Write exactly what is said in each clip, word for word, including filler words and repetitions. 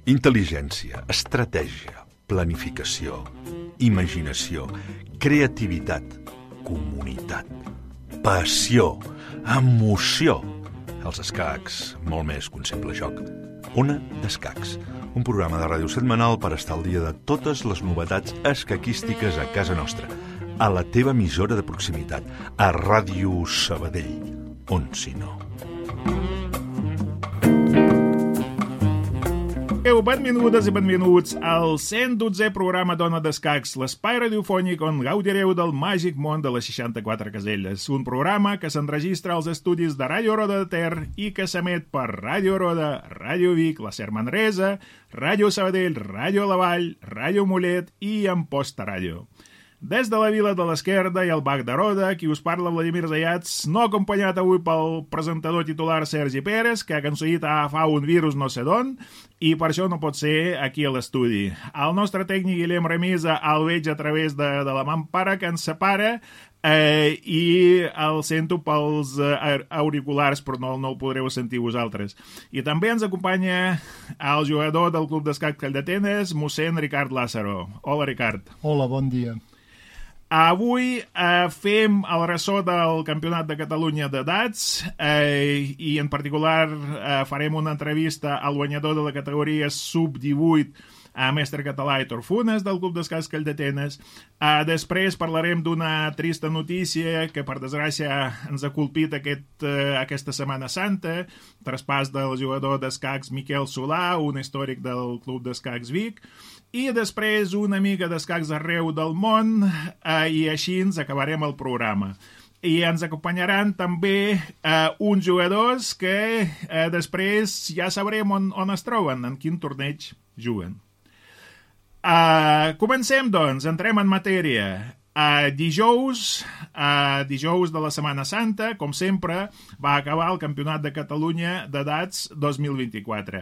Intel·ligència, estratègia, planificació, imaginació, creativitat, comunitat, passió, emoció. Els escacs, molt més que un simple joc. Ona d'Escacs, un programa de ràdio setmanal per estar al dia de totes les novetats escaquístiques a casa nostra, a la teva emissora de proximitat, a Ràdio Sabadell, on si no. Benvingudes i benvinguts al cent dotzè programa d'Ona d'Escacs, l'espai radiofònic on gaudireu del màgic món de les seixanta-quatre caselles. Un programa que s'enregistra als estudis de Ràdio Roda de Ter i que s'emet per Ràdio Roda, Ràdio Vic, la Ser Manresa, Ràdio Sabadell, Ràdio La Vall, Ràdio Mollet i Amposta Ràdio. Des de la Vila de l'Esquerda i el Bac de Roda, qui us parla Vladimir Zayats, no acompanyat avui pel presentador titular Sergi Pérez, que ha aconseguit agafar un virus no sé d'on, i per això no pot ser aquí a l'estudi. El nostre tècnic Guillem Remisa el veig a través de, de la mampara que ens separa, eh, i el sento pels eh, auriculars, però no, no el podreu sentir vosaltres. I també ens acompanya el jugador del Club d'Escac Calldetenes, mossèn Ricard Lázaro. Hola, Ricard. Hola, bon dia. Avui eh, fem el ressò del Campionat de Catalunya d'edats eh, i en particular eh, farem una entrevista al guanyador de la categoria sub divuit a mestre català Héctor Funes del Club d'Escacs Calldetenes. Eh, després parlarem d'una trista notícia que per desgràcia ens ha colpit aquest, eh, aquesta Setmana Santa, traspàs del jugador d'escacs Miquel Solà, un històric del Club d'Escacs Vic, i després una mica d'escacs arreu del món, eh, i així ens acabarem el programa. I ens acompanyaran també eh, uns jugadors que eh, després ja sabrem on, on es troben, en quin torneig juguen. Uh, comencem, doncs, entrem en matèria. Uh, dijous, uh, dijous de la Setmana Santa, com sempre, va acabar el Campionat de Catalunya d'edats dos mil vint-i-quatre.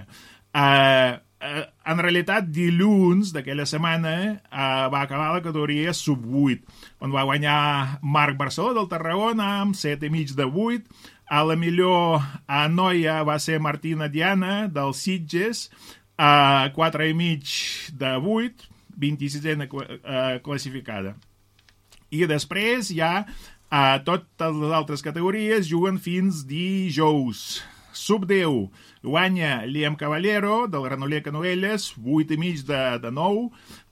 Uh, uh, en realitat, dilluns d'aquella setmana uh, va acabar la categoria sub vuit, on va guanyar Marc Barceló del Tarragona amb set i mig de vuit. A la millor uh, noia va ser Martina Diana del Sitges, a quatre i mig de vuit, vint-i-sisena uh, classificada. I després ja uh, totes les altres categories juguen fins dijous. Sub deu guanya Liam Caballero del Granollers Canovelles, vuit i mig de, de nou.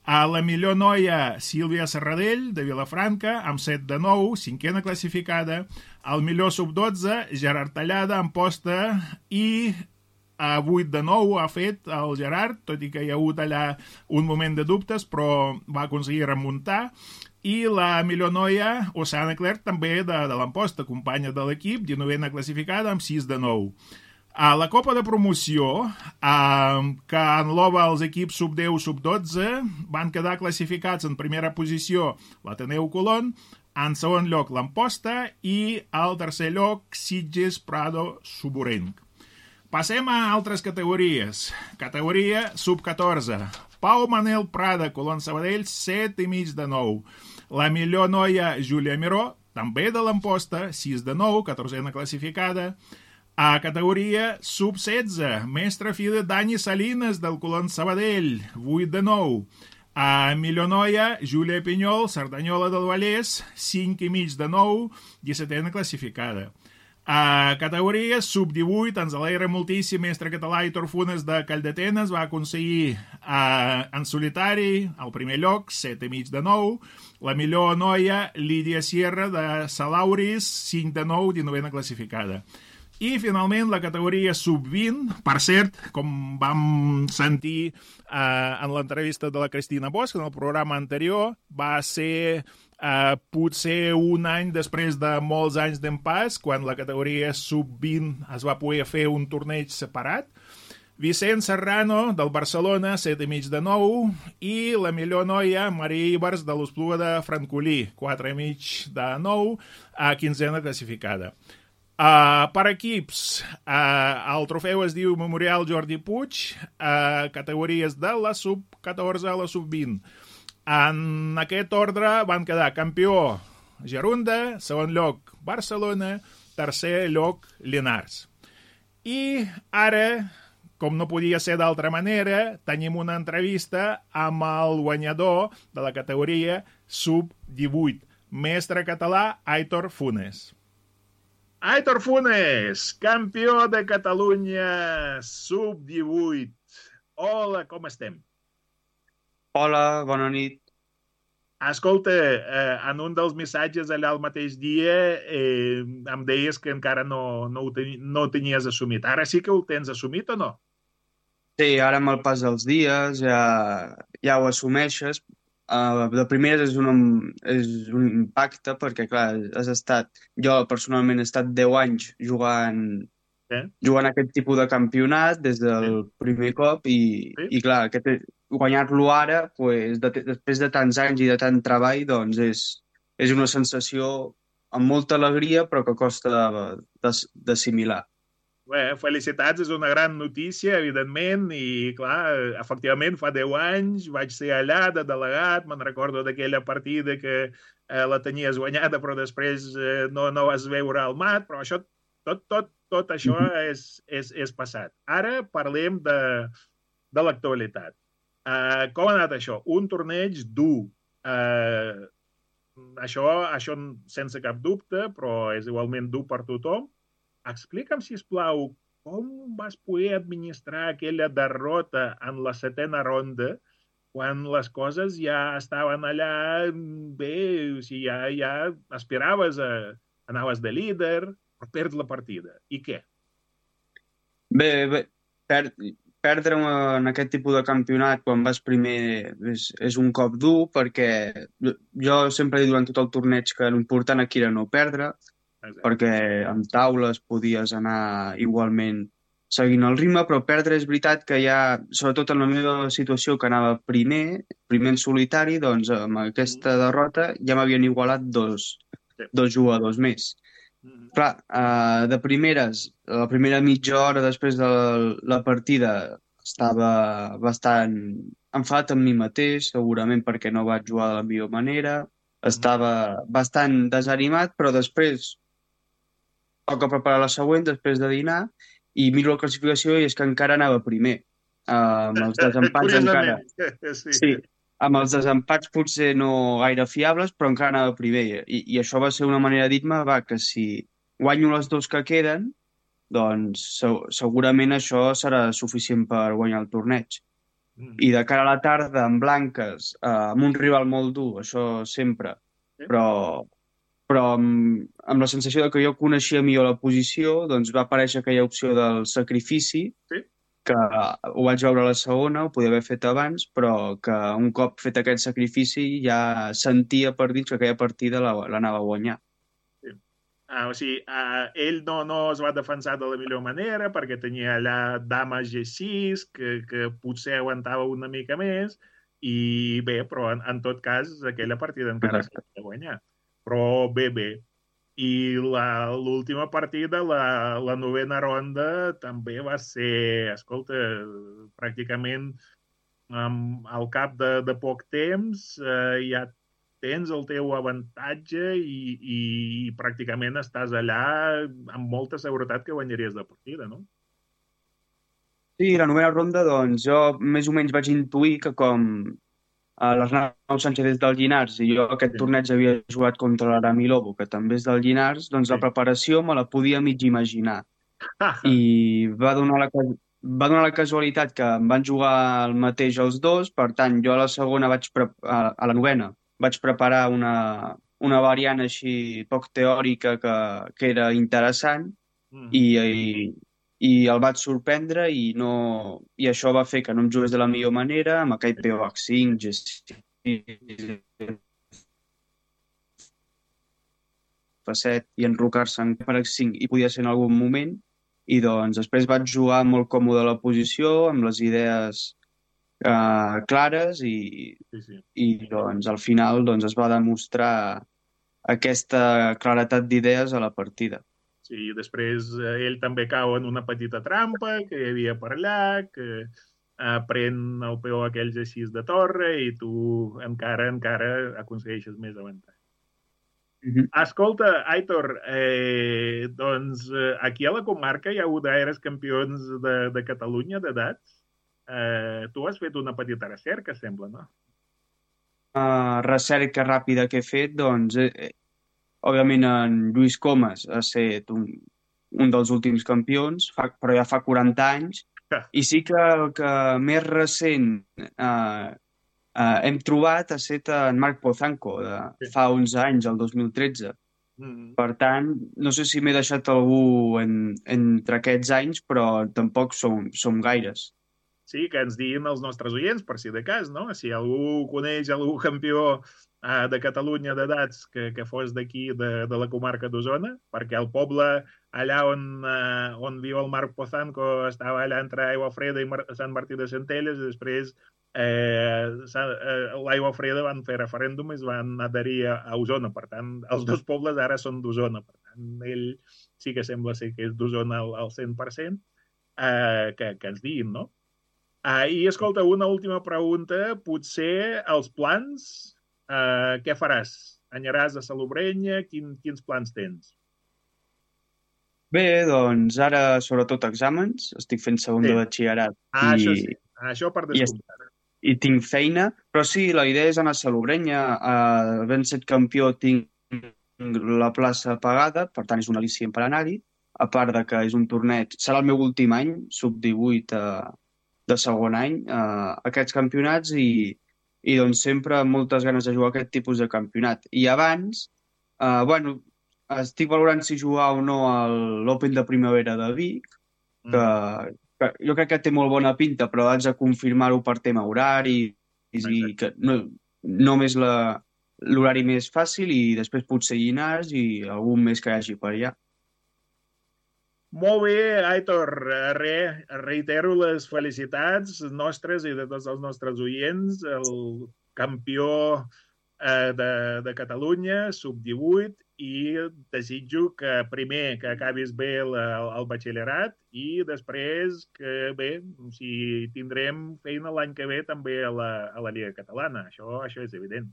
A la millor noia Sílvia Serradell de Vilafranca amb set de nou, cinquena classificada. Al millor sub dotze Gerard Tallada amb posta i a vuit de nou ha fet el Gerard, tot i que hi ha hagut allà un moment de dubtes, però va aconseguir remuntar. I la millor noia, Oceana Clerc, també de, de l'Amposta, companya de l'equip, dinovena classificada amb sis de nou. A la Copa de Promoció, eh, que engloba els equips sub deu, sub dotze, van quedar classificats en primera posició l'Ateneu Colón, en segon lloc l'Amposta i al tercer lloc Sitges Prado Suburenc. Passem a altres categories. Categoria sub catorze. Pau Manel Prada, Colón Sabadell, set i mig de nou. La millor noia, Júlia Miró, també de l'Amposta, sis de nou, catorzena classificada. A categoria sub setze. Mestre filla Dani Salinas, del Colón Sabadell, vuit de nou. A millor noia, Júlia Pinyol, Cerdanyola del Vallès, cinc i mig de nou, dissetena classificada. A categoria sub divuit, ens alegra moltíssim mestre català Héctor Funes de Calldetenes, va aconseguir uh, en solitari el primer lloc, set i mig de nou. La millor noia, Lídia Sierra de Salauris, cinc de nou, dinovena classificada. I finalment la categoria sub vint, per cert, com vam sentir uh, en l'entrevista de la Cristina Bosch en el programa anterior, va ser Uh, potser un any després de molts anys d'empàs, quan la categoria sub vint es va poder fer un torneig separat. Vicent Serrano, del Barcelona, set i mig de nou, i la millor noia, Maria Ibars, de l'Espluga de Francolí, quatre i mig de nou, a quinzena classificada. Uh, per equips, uh, el trofeu es diu Memorial Jordi Puig, uh, categories de la sub catorze a la sub vint. En aquest ordre van quedar campió Gerunda, segon lloc Barcelona, tercer lloc Llinars. I ara, com no podia ser d'altra manera, tenim una entrevista amb el guanyador de la categoria sub divuit, mestre català Aitor Funes. Aitor Funes, campió de Catalunya sub divuit. Hola, com estem? Hola, bona nit. Escolta, eh, en un dels missatges allà el mateix dia eh, em deies que encara no, no, ho teni, no ho tenies assumit. Ara sí que ho tens assumit o no? Sí, ara amb el pas dels dies ja, ja ho assumeixes. Uh, de primeres és un, és un impacte perquè, clar, has estat... Jo personalment he estat deu anys jugant, eh? jugant aquest tipus de campionat des del Sí. primer cop i, Sí. i clar, aquest, guanyar-lo ara, pues, de, després de tants anys i de tant treball, doncs és, és una sensació amb molta alegria però que costa d'assimilar. Bé, felicitats, és una gran notícia, evidentment, i clar, efectivament, fa deu anys vaig ser allà de delegat, me'n recordo d'aquella partida que eh, la tenies guanyada, però després eh, no, no vas veure el mat, però això, tot, tot, tot això és, és, és passat. Ara parlem de, de l'actualitat. Uh, com ha anat això? Un torneig dur. Uh, això, això sense cap dubte, però és igualment dur per tothom. Explica'm, sisplau, com vas poder administrar aquella derrota en la setena ronda quan les coses ja estaven allà bé, o sigui, ja, ja aspiraves a... anaves de líder, però perds la partida. I què? Bé, bé per, perdre en aquest tipus de campionat quan vas primer és, és un cop dur perquè jo sempre he dit durant tot el torneig que l'important aquí era no perdre. Exacte. Perquè amb taules podies anar igualment seguint el ritme, però perdre és veritat que ja, sobretot en la meva situació que anava primer, primer en solitari, doncs amb aquesta derrota ja m'havien igualat dos, dos jugadors més. Mm-hmm. Clar, eh, de primeres, la primera mitja hora després de la partida estava bastant enfadat amb mi mateix, segurament perquè no vaig jugar de la millor manera, estava bastant desanimat, però després toca preparar la següent després de dinar i miro la classificació i és que encara anava primer. Uh, amb els desempats encara... Sí. sí, amb els desempats potser no gaire fiables, però encara anava primer. I, i això va ser una manera de dir-me va, que si guanyo les dos que queden, doncs se segurament això serà suficient per guanyar el torneig. Mm. I de cara a la tarda, amb blanques, uh, amb un rival molt dur, això sempre, sí. però... però amb, amb la sensació de que jo coneixia millor la posició, doncs va aparèixer aquella opció del sacrifici, sí. que ho vaig veure a la segona, ho podia haver fet abans, però que un cop fet aquest sacrifici ja sentia per dir que aquella partida l'anava a guanyar. Sí. Ah, o sigui, uh, ell no, no es va defensar de la millor manera perquè tenia allà dama G sis, que, que potser aguantava una mica més, i bé, però en, en tot cas aquella partida encara s'ha de guanyar. Però bé, bé. I l'última partida, la, la novena ronda, també va ser, escolta, pràcticament um, al cap de, de poc temps eh, ja tens el teu avantatge i, i, i pràcticament estàs allà amb molta seguretat que guanyaries la partida, no? Sí, la novena ronda, doncs, jo més o menys vaig intuir que com l'Arnau Sánchez és del Llinars i jo aquest sí. torneig havia jugat contra l'Arami Lobo, que també és del Llinars, doncs sí. la preparació me la podia mig imaginar. I va donar, la, va donar la casualitat que em van jugar el mateix els dos, per tant, jo a la segona vaig a, a la novena vaig preparar una, una variant així poc teòrica que, que era interessant mm. i, i i el vaig sorprendre i, no... i això va fer que no em jugués de la millor manera, amb aquell P O H cinc, G sis, F set i enrocar-se en P O H cinc i podia ser en algun moment. I doncs després vaig jugar molt còmode a la posició, amb les idees eh, clares i, sí, sí. i doncs al final doncs, es va demostrar aquesta claretat d'idees a la partida. Sí, després eh, ell també cau en una petita trampa que hi havia per allà, que eh, pren el peó aquells així de torre i tu encara, encara aconsegueixes més avantatge. Mhm. Escolta, Aitor, eh, doncs eh, aquí a la comarca hi ha hagut gaires campions de, de Catalunya d'edats. Eh, tu has fet una petita recerca, sembla, no? Uh, recerca ràpida que he fet, doncs, eh, eh, òbviament en Lluís Comas ha estat un, un dels últims campions, fa, però ja fa quaranta anys, i sí que el que més recent eh, eh, hem trobat ha estat en Marc Pozanco, de Sí. fa onze anys, el dos mil tretze. Mm. Per tant, no sé si m'he deixat algú en, entre aquests anys, però tampoc som, som gaires. Sí, que ens diguin els nostres oients, per si de cas, no? Si algú coneix algú campió eh, de Catalunya d'edats que, que fos d'aquí, de, de la comarca d'Osona, perquè el poble allà on, eh, on viu el Marc Pozanco estava allà entre Aigua Freda i Mar Sant Martí de Centelles, i després eh, eh, l'Aigua Freda van fer referèndum i es van adherir a, a Osona. Per tant, els dos pobles ara són d'Osona. Per tant, ell sí que sembla ser que és d'Osona al, al cent per cent, eh, que, que ens diguin, no? Ah, I, escolta, una última pregunta. Potser els plans, eh, què faràs? Anyaràs a Salobrenya? Quin, quins plans tens? Bé, doncs ara sobretot exàmens, estic fent segon Sí. de batxillerat Ah, i, això sí. Ah, això per i, est- descomptat. i tinc feina, però sí, la idea és anar a Salobrenya, uh, havent set campió tinc la plaça pagada, per tant és un al·licient per anar-hi, a part de que és un torneig, serà el meu últim any, sub divuit uh, de segon any, uh, aquests campionats i, i doncs sempre amb moltes ganes de jugar aquest tipus de campionat. I abans, uh, bueno, estic valorant si jugar o no a l'Open de Primavera de Vic, que, Mm. que jo crec que té molt bona pinta, però haig de confirmar-ho per tema horari i Exacte. que no, només la, l'horari més fàcil i després potser Llinars i algun més que hi hagi per allà. Molt bé, Aitor. Eh, Re, reitero les felicitats nostres i de tots els nostres oients. El campió eh, de, de Catalunya, sub divuit, i desitjo que primer que acabis bé el, el batxillerat i després que bé, si tindrem feina l'any que ve també a la, a la Lliga Catalana. Això, això és evident.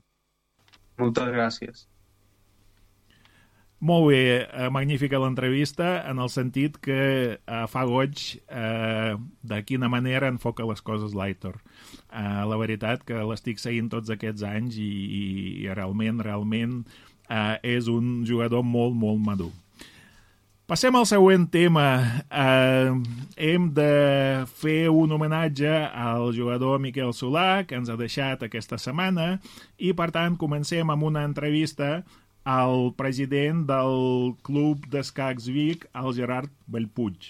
Moltes gràcies. Molt bé, eh, magnífica l'entrevista en el sentit que eh, fa goig eh, de quina manera enfoca les coses l'Aitor. Eh, la veritat que l'estic seguint tots aquests anys i, i, i realment, realment eh, és un jugador molt, molt madur. Passem al següent tema. Eh, hem de fer un homenatge al jugador Miquel Solà, que ens ha deixat aquesta setmana, i per tant comencem amb una entrevista al president del Club d'Escacs Vic, el Gerard Bellpuig.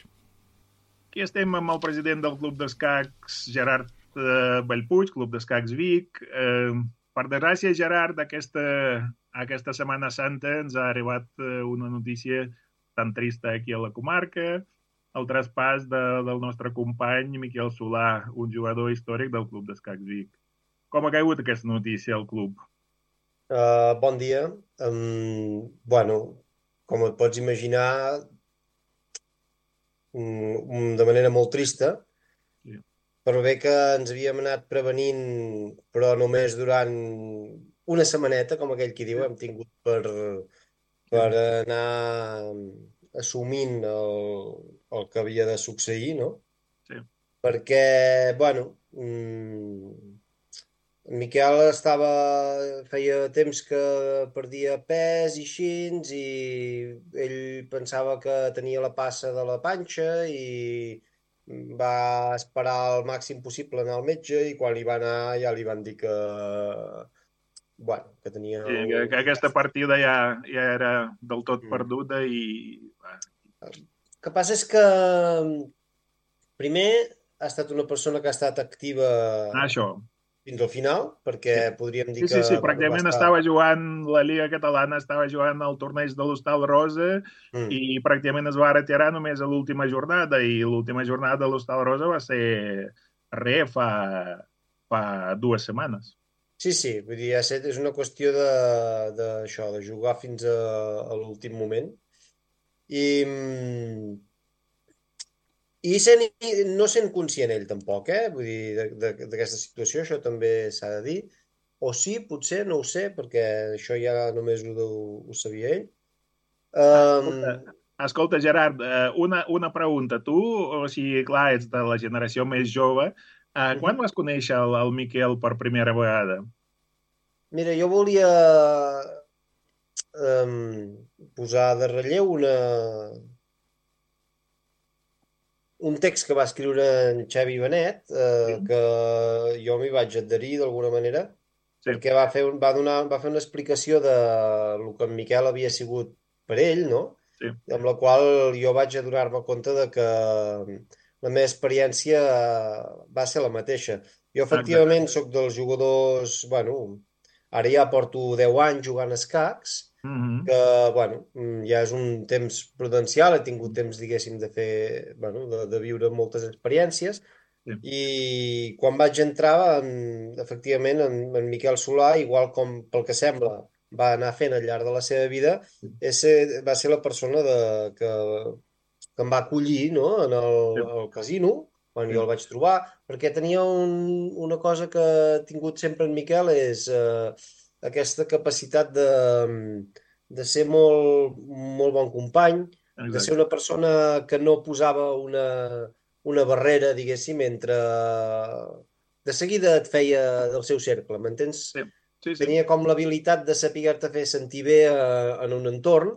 Aquí estem amb el president del Club d'Escacs, Gerard eh, Bellpuig, Club d'Escacs Vic. Eh, per desgràcia, Gerard, aquesta, aquesta Setmana Santa ens ha arribat eh, una notícia tan trista aquí a la comarca, el traspàs de, del nostre company Miquel Solà, un jugador històric del Club d'Escacs Vic. Com ha caigut aquesta notícia al club? Uh, bon dia. Um, bueno, com et pots imaginar, um, de manera molt trista, Sí. però bé que ens havíem anat prevenint, però només durant una setmaneta, com aquell qui diu, hem tingut per, per anar assumint el, el que havia de succeir, no? Sí. Perquè, bueno, um, en Miquel estava, feia temps que perdia pes i així, i ell pensava que tenia la passa de la panxa i va esperar el màxim possible anar al metge i quan hi va anar ja li van dir que, bueno, que tenia... Sí, el... que, que aquesta partida ja, ja era del tot Mm. perduda i... El que passa és que primer ha estat una persona que ha estat activa Ah, això. fins al final, perquè Sí. podríem dir Sí, sí, que sí, bueno, va pràcticament estar... estava jugant la Lliga Catalana, estava jugant el torneig de l'Hostal Rosa Mm. i pràcticament es va retirar només a l'última jornada i l'última jornada de l'Hostal Rosa va ser re fa, fa dues setmanes. Sí, sí, vull dir, ja sé, és una qüestió de, de, això, de jugar fins a, a l'últim moment. I, mm, I sent, no sent conscient ell tampoc, eh? Vull dir, d'aquesta situació, això també s'ha de dir. O sí, potser, no ho sé, perquè això ja només ho, ho sabia ell. Escolta, Um, escolta Gerard, una, una pregunta. Tu, o sigui, clar, ets de la generació més jove. Uh, quan vas conèixer el, el Miquel per primera vegada? Mira, jo volia um, posar de relleu una, un text que va escriure en Xavi Benet, eh, Sí. que jo m'hi vaig adherir d'alguna manera, Sí. perquè va fer, va, donar, va fer una explicació de el que en Miquel havia sigut per ell, no? Sí. Amb la qual jo vaig adonar-me compte de que la meva experiència va ser la mateixa. Jo, efectivament, Exacte. sóc dels jugadors... Bueno, ara ja porto deu anys jugant a escacs, Mm-hmm. que, bueno, ja és un temps prudencial, he tingut temps, diguéssim, de fer, bueno, de, de viure moltes experiències, Sí. i quan vaig entrar, en, efectivament, en, en Miquel Solà, igual com pel que sembla, va anar fent al llarg de la seva vida, és, va ser la persona de, que, que em va acollir, no?, en el, Sí. el casino, quan Sí. jo el vaig trobar, perquè tenia un, una cosa que he tingut sempre en Miquel, és eh, aquesta capacitat de, de ser molt, molt bon company, de ser Exacte. una persona que no posava una, una barrera, diguéssim, entre... De seguida et feia del seu cercle, m'entens? Sí. Sí, sí. Tenia com l'habilitat de saber-te fer sentir bé eh, en un entorn,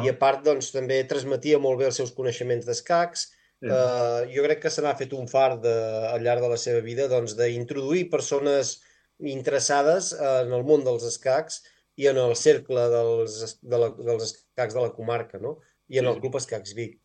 i Ah, a part, doncs, també transmetia molt bé els seus coneixements d'escacs. sí. Eh, jo crec que se n'ha fet un fart de, al llarg de la seva vida, doncs, d'introduir persones interessades en el món dels escacs i en el cercle dels, es- de la, dels escacs de la comarca, no? I en Sí, el sí. Club Escacs Vic.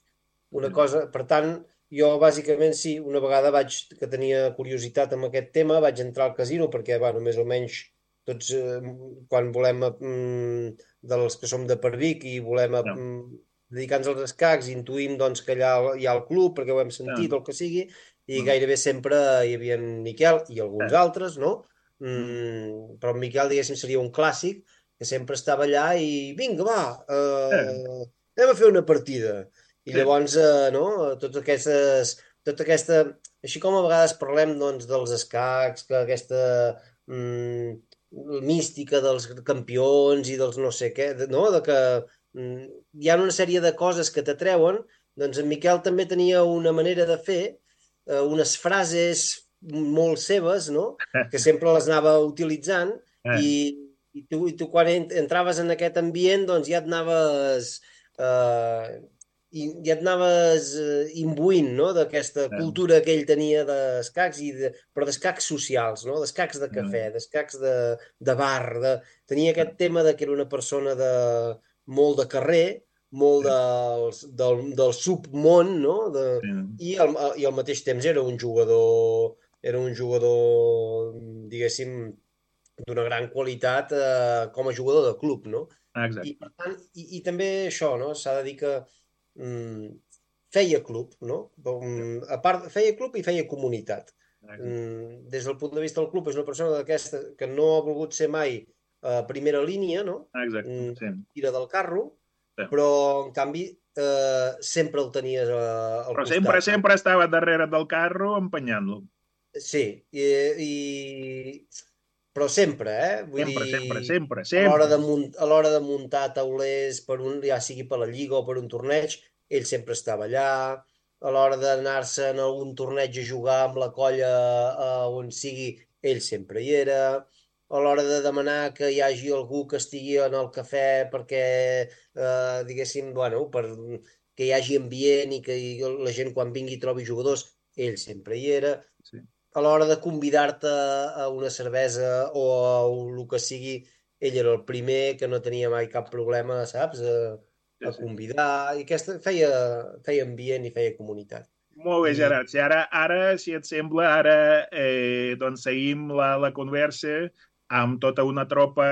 Una Sí. cosa, per tant, jo bàsicament sí, una vegada vaig, que tenia curiositat amb aquest tema, vaig entrar al casino perquè, bueno, més o menys tots, eh, quan volem, mm, dels que som de per Vic i volem No. mm, dedicar-nos als escacs, intuïm doncs, que allà hi ha el club perquè ho hem sentit Ah, o el que sigui, i no. gairebé sempre hi havia en Miquel i alguns Ah. altres, no? Mm, però en Miquel, diguéssim, seria un clàssic que sempre estava allà i vinga, va, Ah. eh, anem a fer una partida. I Sí. llavors, eh, no, totes aquestes, tota aquesta, així com a vegades parlem, doncs, dels escacs, que aquesta mm, mística dels campions i dels no sé què, de- no, de que mm, hi ha una sèrie de coses que t'atreuen, doncs en Miquel també tenia una manera de fer, eh, unes frases molt seves, no?, que sempre les anava utilitzant, Ah. i, i, tu, i tu quan ent- entraves en aquest ambient, doncs ja et anaves... Eh, i ja et anaves eh, imbuint, no?, d'aquesta Ah. cultura que ell tenia d'escacs, i de, però d'escacs socials, no?, d'escacs de cafè, Ah. d'escacs de, de bar, de... tenia aquest tema de que era una persona de, molt de carrer, molt Sí. del, del, del submón, no?, de, Sí. i, al, i al mateix temps era un jugador, era un jugador, diguéssim, d'una gran qualitat eh, com a jugador de club, no? I, Exacte. per tant, i, i també això, no? S'ha de dir que mm, feia club, no? Mm, a part, feia club i feia comunitat. Exacte. Mm, des del punt de vista del club, és una persona d'aquesta que no ha volgut ser mai a primera línia, no? Exacte. Mm, Sí. tira del carro, Sí. però, en canvi, eh, sempre el tenies eh, al Però sempre, costat. sempre estava darrere del carro empenyant-lo. Sí, i, i... però sempre, eh? Vull Sempre, sempre, dir, sempre, a l'hora sempre. de, munt, a l'hora de muntar taulers, per un, ja sigui per la Lliga o per un torneig, ell sempre estava allà. A l'hora d'anar-se en algun torneig a jugar amb la colla eh, on sigui, ell sempre hi era. A l'hora de demanar que hi hagi algú que estigui en el cafè perquè, eh, diguéssim, bueno, per que hi hagi ambient i que la gent quan vingui trobi jugadors, ell sempre hi era. Sí. A l'hora de convidar-te a una cervesa o a el que sigui, ell era el primer, que no tenia mai cap problema, saps?, a, Sí, a sí. convidar, i aquesta feia, feia ambient i feia comunitat. Molt bé, I- Gerard. Si ara, ara, si et sembla, ara eh, doncs seguim la, la conversa amb tota una tropa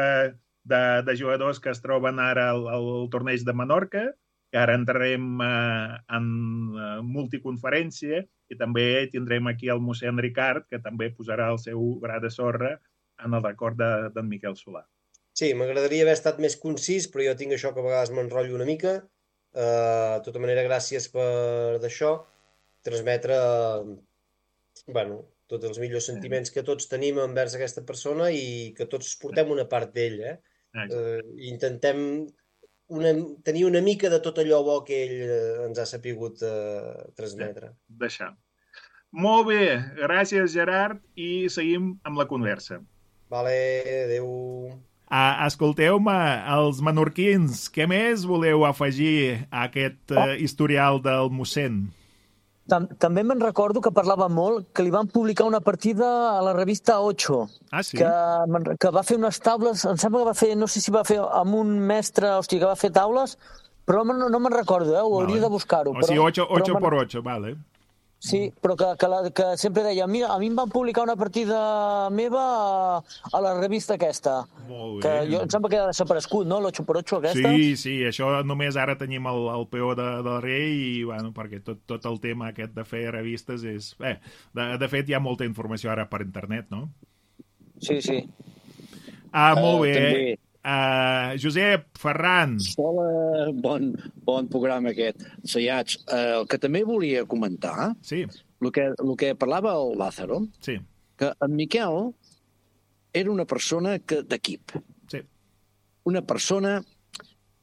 de, de jugadors que es troben ara al, al torneig de Menorca, que ara entrarem eh, en eh, multiconferència, i també tindrem aquí el mossèn Ricard, que també posarà el seu gra de sorra en el record d'en de, Miquel Solà. Sí, m'agradaria haver estat més concís, però jo tinc això que a vegades m'enrotllo una mica. Uh, de tota manera, gràcies per d'això. transmetre bueno, tots els millors sentiments que tots tenim envers aquesta persona i que tots portem una part d'ell, eh? eh intentem una, tenir una mica de tot allò bo que ell ens ha sapigut eh, transmetre. Deixar. Molt bé, gràcies Gerard i seguim amb la conversa. Vale, adeu. Uh, escolteu-me, els menorquins, què més voleu afegir a aquest uh, historial del mossèn? També me'n recordo que parlava molt que li van publicar una partida a la revista Ocho. Ah, sí? Que, que va fer unes taules, em sembla que va fer, no sé si va fer amb un mestre, hòstia, que va fer taules, però no, no me'n recordo, eh? Ho vale. Hauria de buscar-ho. O sigui, ocho por ocho, vale. Sí, però que, que, la, que sempre deia, mira, a mi em van publicar una partida meva a, a la revista aquesta. Molt bé. Que jo, em sembla que ha desaparegut, no?, l'ocho por ocho aquesta. Sí, sí, això només ara tenim el, el peó de, del rei i, bueno, perquè tot, tot el tema aquest de fer revistes és... Eh, de, de fet, hi ha molta informació ara per internet, no? Sí, sí. Ah, molt bé. Uh, també. Uh, Josep, Ferran. Hola, bon, bon programa aquest. Saiats, uh, el que també volia comentar, sí. el, que, el que parlava el Lázaro, sí. que en Miquel era una persona que, d'equip. Sí. Una persona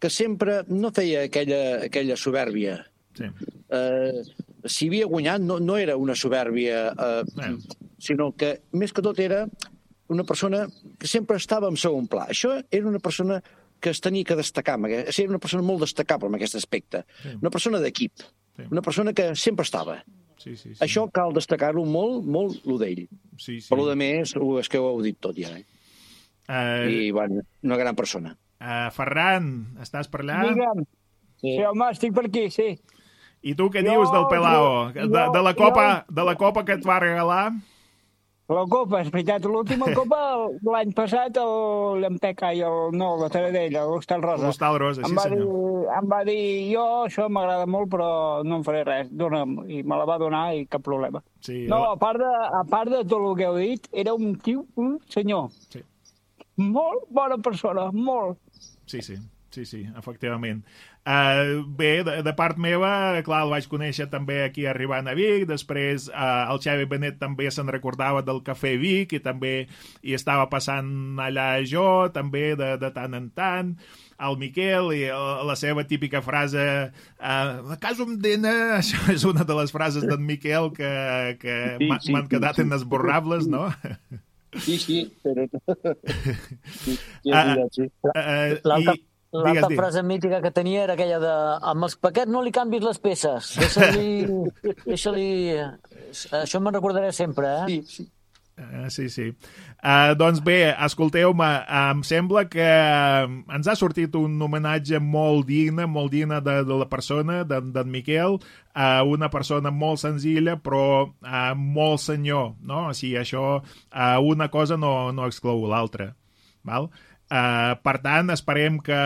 que sempre no feia aquella, aquella soberbia. Sí. Uh, si havia guanyat, no, no era una soberbia, uh, bueno. sinó que, més que tot, era una persona que sempre estava en segon pla. Això era una persona que es tenia que destacar, era una persona molt destacable en aquest aspecte. Sí. Una persona d'equip, sí. Una persona que sempre estava. Sí, sí, sí. Això cal destacar-ho molt, molt, lo d'ell. Sí, sí. Per lo de més, és que ho heu dit tot ja. Eh? Uh... I, bueno, una gran persona. Uh, Ferran, estàs per allà? Digue'm. Sí. Sí, home, estic per aquí, sí. I tu què jo, dius del Pelao? Jo, de, de, la copa, jo... de la copa que et va regalar? La copa, és veritat, l'última copa l'any passat l'Empecà i el no, la Taradella, l'Hostal Rosa. L'Hostal Rosa, sí em va senyor. Dir, em va dir, jo això m'agrada molt però no em faré res, dona'm, i me la va donar i cap problema. Sí, no, la... a part, de, a part de tot el que heu dit, era un tio, un senyor. Sí. Molt bona persona, molt. Sí, sí. Sí, sí, efectivament. Uh, bé, de, de part meva, clar, el vaig conèixer també aquí arribant a Vic, després uh, el Xavi Benet també se'n recordava del Cafè Vic i també hi estava passant allà jo, també de, de tant en tant, el Miquel i la seva típica frase uh, a casa em dena, això és una de les frases d'en Miquel que, que sí, m'han sí, quedat sí, inesborrables, no? Sí, sí, però... sí, sí, uh, sí. Uh, L'altra... I... L'altra frase mítica que tenia era aquella de amb els paquets no li canvis les peces, deixa-li... deixa-li... Això me'n recordaré sempre, eh? Sí, sí. Uh, sí, sí. Uh, doncs bé, escolteu-me, uh, em sembla que uh, ens ha sortit un homenatge molt digne, molt digne de, de la persona, d'en de, Miquel, uh, una persona molt senzilla, però uh, molt senyor, no? O sigui, això, uh, una cosa no, no exclou l'altra, val? Uh, per tant, esperem que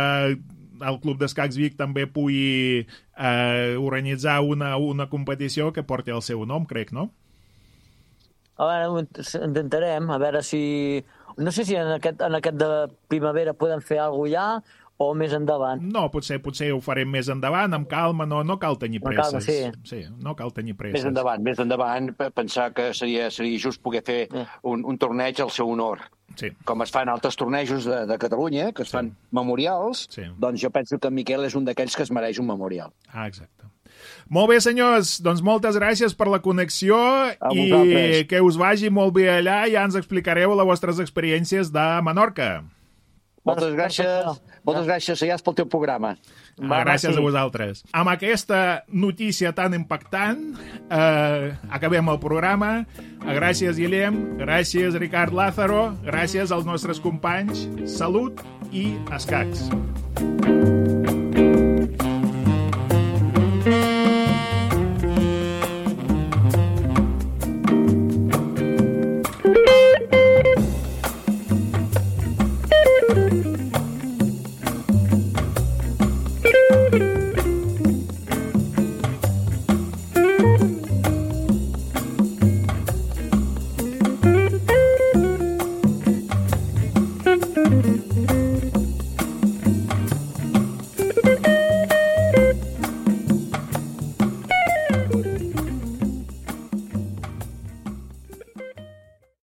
el Club d'Escacs Vic també pugui uh, organitzar una, una competició que porti el seu nom, crec, no? A veure, intentarem, a veure si... No sé si en aquest, en aquest de primavera podem fer alguna cosa ja o més endavant. No, potser potser ho farem més endavant, amb calma, no, no cal tenir presses. Calma, sí. Sí, no cal tenir presses. Més endavant, més endavant, pensar que seria, seria just poder fer eh. un, un torneig al seu honor. Sí. Com es fan altres tornejos de, de Catalunya, que es sí. fan memorials, sí. doncs jo penso que en Miquel és un d'aquells que es mereix un memorial. Ah, exacte. Molt bé, senyors, doncs moltes gràcies per la connexió i que us vagi molt bé allà i ja ens explicareu les vostres experiències de Menorca. Moltes gràcies, moltes gràcies, Saiats, pel teu programa. Ah, gràcies a vosaltres. Amb aquesta notícia tan impactant, eh, acabem el programa. Gràcies, Guillem, gràcies, Ricard Lázaro, gràcies als nostres companys. Salut i escacs.